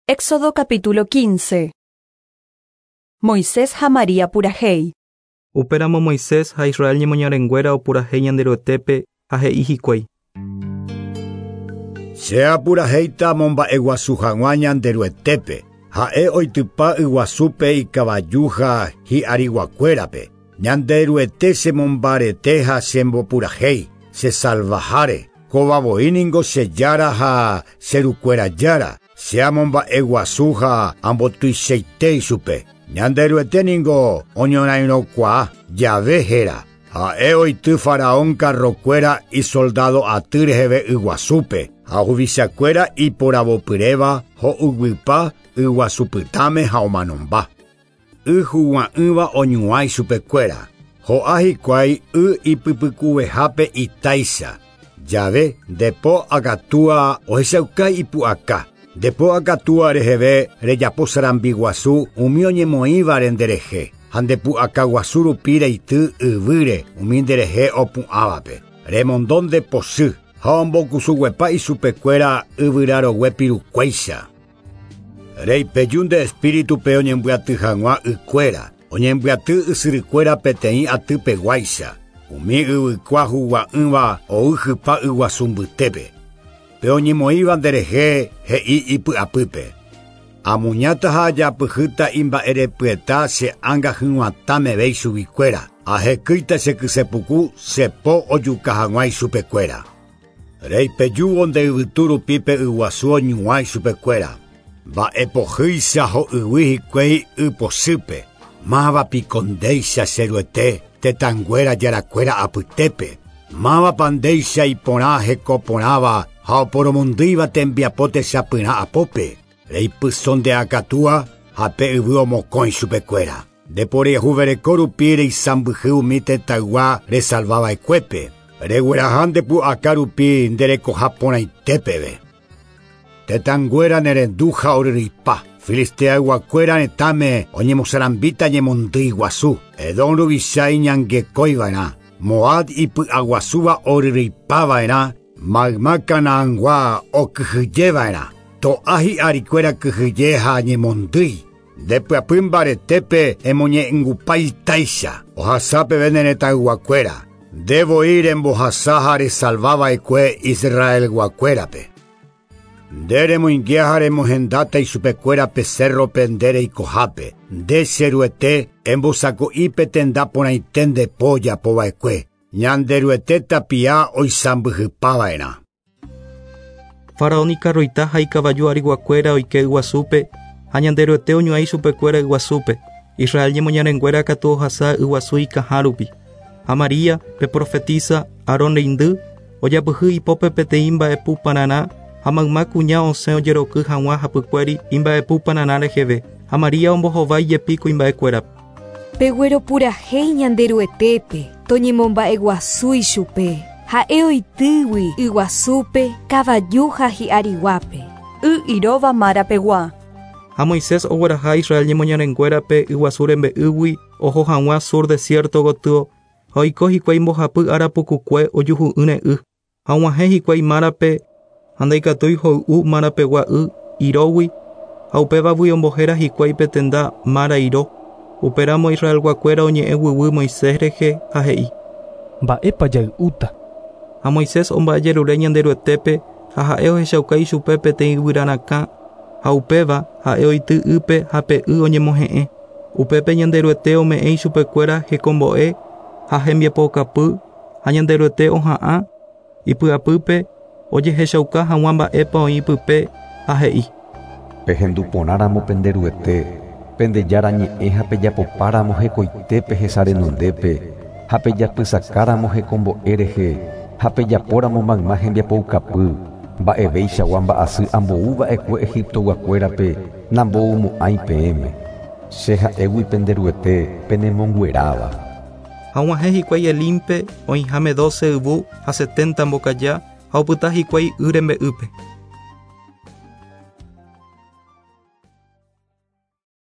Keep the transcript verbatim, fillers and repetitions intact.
Éxodo capítulo quince. Moisés ha María purahéi. Upéramo Moisés ha Israel ñemoñarenguéra opurahéi Ñanderuetépe ha he'i hikuái. Che apurahéita momba'eguasu hag̃ua Ñanderuetépe, ha'e oitypa yguasúpe ikavaju ha hi'ariguakuérape. Ñanderuete chemombarete ha chembopurahéi, chesalvaháre. Kóva voi ningo che jára ha che rukuéra jára. Che amomba'eguasu ha ambotuichaite ichupe. Ñanderuete ningo oñorairõkuaa jave héra. Ha'e oity faraón carrokuéra isoldado aty reheve yguasúpe ha huvichakuéra iporavopyréva ho'uguypa yguasupytãme ha omanomba. Y hugua'ỹva oñuã ichupekuéra. Ho'a hikuái y ipypykuvehápe itáicha. Jave ndepo akatúa ohechauka ipu'aka. Ndepo akatúa reheve rejapo sarambiguasu umi oñemoĩvare nderehe ha ndepu'akaguasu rupi reity yvýre umi nderehe opu'ãvape. Remondo ndepochy ha ombokusuguepa ichupekuéra yvyrarogue pirukuéicha. Reipeju nde espíritupe oñembyaty hag̃ua ykuéra, oñembyaty ysyrykuéra peteĩ atypeguáicha. Umi yvykua hugua'ỹva oýhypa yguasu mbytépe. Pe oñemoĩva nderehe he'i ipy'apýpe. Amuñáta ha ajapyhýta imba'erepyeta che ánga hyg̃uatã meve ichuguikuéra. Ahekýita che kysepuku chepo ojuka hag̃ua ichupekuéra. Reipejúvo nde yvytu rupi pe yguasu oñuã ichupekuéra. Mba'epohýicha ho'yguy hikuái ypochýpe. Máva piko ndéicha cheruete tetãnguéra jarakuéra apytépe. Mávapa ndéicha iporã hekoporãva ha oporomondýiva tembiapo techapyrã apópe. Reipyso nde akatúa ha pe yvy omokõi chupekuéra. Ndeporehuvereko rupi reisãmbyhy umi tetãygua resalvava'ekuépe. Regueraha ndepu'aka rupi nderekoha porãitépeve. Tetãnguéra nerendu ha oryryipa. Filisteayguakuéra retãme oñemosarambíta ñemondýi guasu. Edom ruvicha iñangekóiva'erã. Moab ipy'aguasúva oryryipava'erã. Mayma Canaangua okyhyjeva'erã. To'a hi'arikuéra kyhyje ha ñemondýi. Ndepyapy mbaretépe emoñe'ẽngupa itáicha. Ohasápeve ne retãyguakuéra. Nde voi rembohasa ha resalvava'ekue Israelguakuérape. Nde remoinge ha remohendáta ichupekuéra pe cérrope nde reikohápe. Nde cheruete embosako'ípe tenda porãite nde po ojapova'ekue. Ñanderuete tapia oisãmbyhypava'erã. Faraón ikarroita ha ikavaju ariguakuéra oike yguasúpe ha Ñanderuete oñuã ichupekuéra yguasúpe. Israel ñemoñarenguéra katu ohasa yguasu ikãha rupi. Ha María, pe profetisa, Aarón reindy, ojapyhy ipópe peteĩ mba'epu pararã ha mayma kuña osẽ ojeroky hag̃ua hapykuéri imba'epu pararã reheve. Ha María ombohovái jepi kuimba'ekuérape. Pegueropurahéi Ñanderuetépe, toñemomba'eguasu ichupe. Ha'e oitýgui yguasúpe kavaju ha hi'ariguápe. Y iróva marapegua. Ha Moisés ogueraha Israel ñemoñarenguérape yguasu rembe'ýgui oho hag̃ua sur desierto gotyo ha oiko hikuái mbohapy ára pukukue ojuhu'ỹre y. Ha og̃uahẽ hikuái márape ha ndaikatúi hoy'u marapegua y irógui ha upévagui ombohéra hikuái pe tenda Mara iro. Upéramo Israelguakuéra oñe'ẽ guyguy Moisés rehe ha he'i. Mba'épa jay'úta. Ha Moisés omba'ejerure Ñanderuetépe ha ha'e ohechauka ichupe peteĩ yvyrarakã ha upéva ha'e oity ýpe ha pe y oñemohe'ẽ. Upépe Ñanderuete ome'ẽ ichupekuéra hekombo'e ha hembiapokapy ha Ñanderuete oha'ã ipy'apýpe ojehechauka hag̃ua mba'épa oĩ pype ha he'i. Pehenduporãramo penderuete, pendejára ñe'ẽ ha pejapopáramo hekoitépe hesa renondépe, ha pejapysakáramo hekombo'e rehe, ha pejapóramo mayma hembiapoukapy, mba'evéichagua mba'asy amboúva'ekue Egiptoguakuérape namboumo'ãi peẽme. Che ha'égui penderuete penemongueráva. Ha og̃uahẽ hikuái Elimpe oĩháme doce yvu ha setenta mbokaja ha opyta hikuái y rembe'ýpe.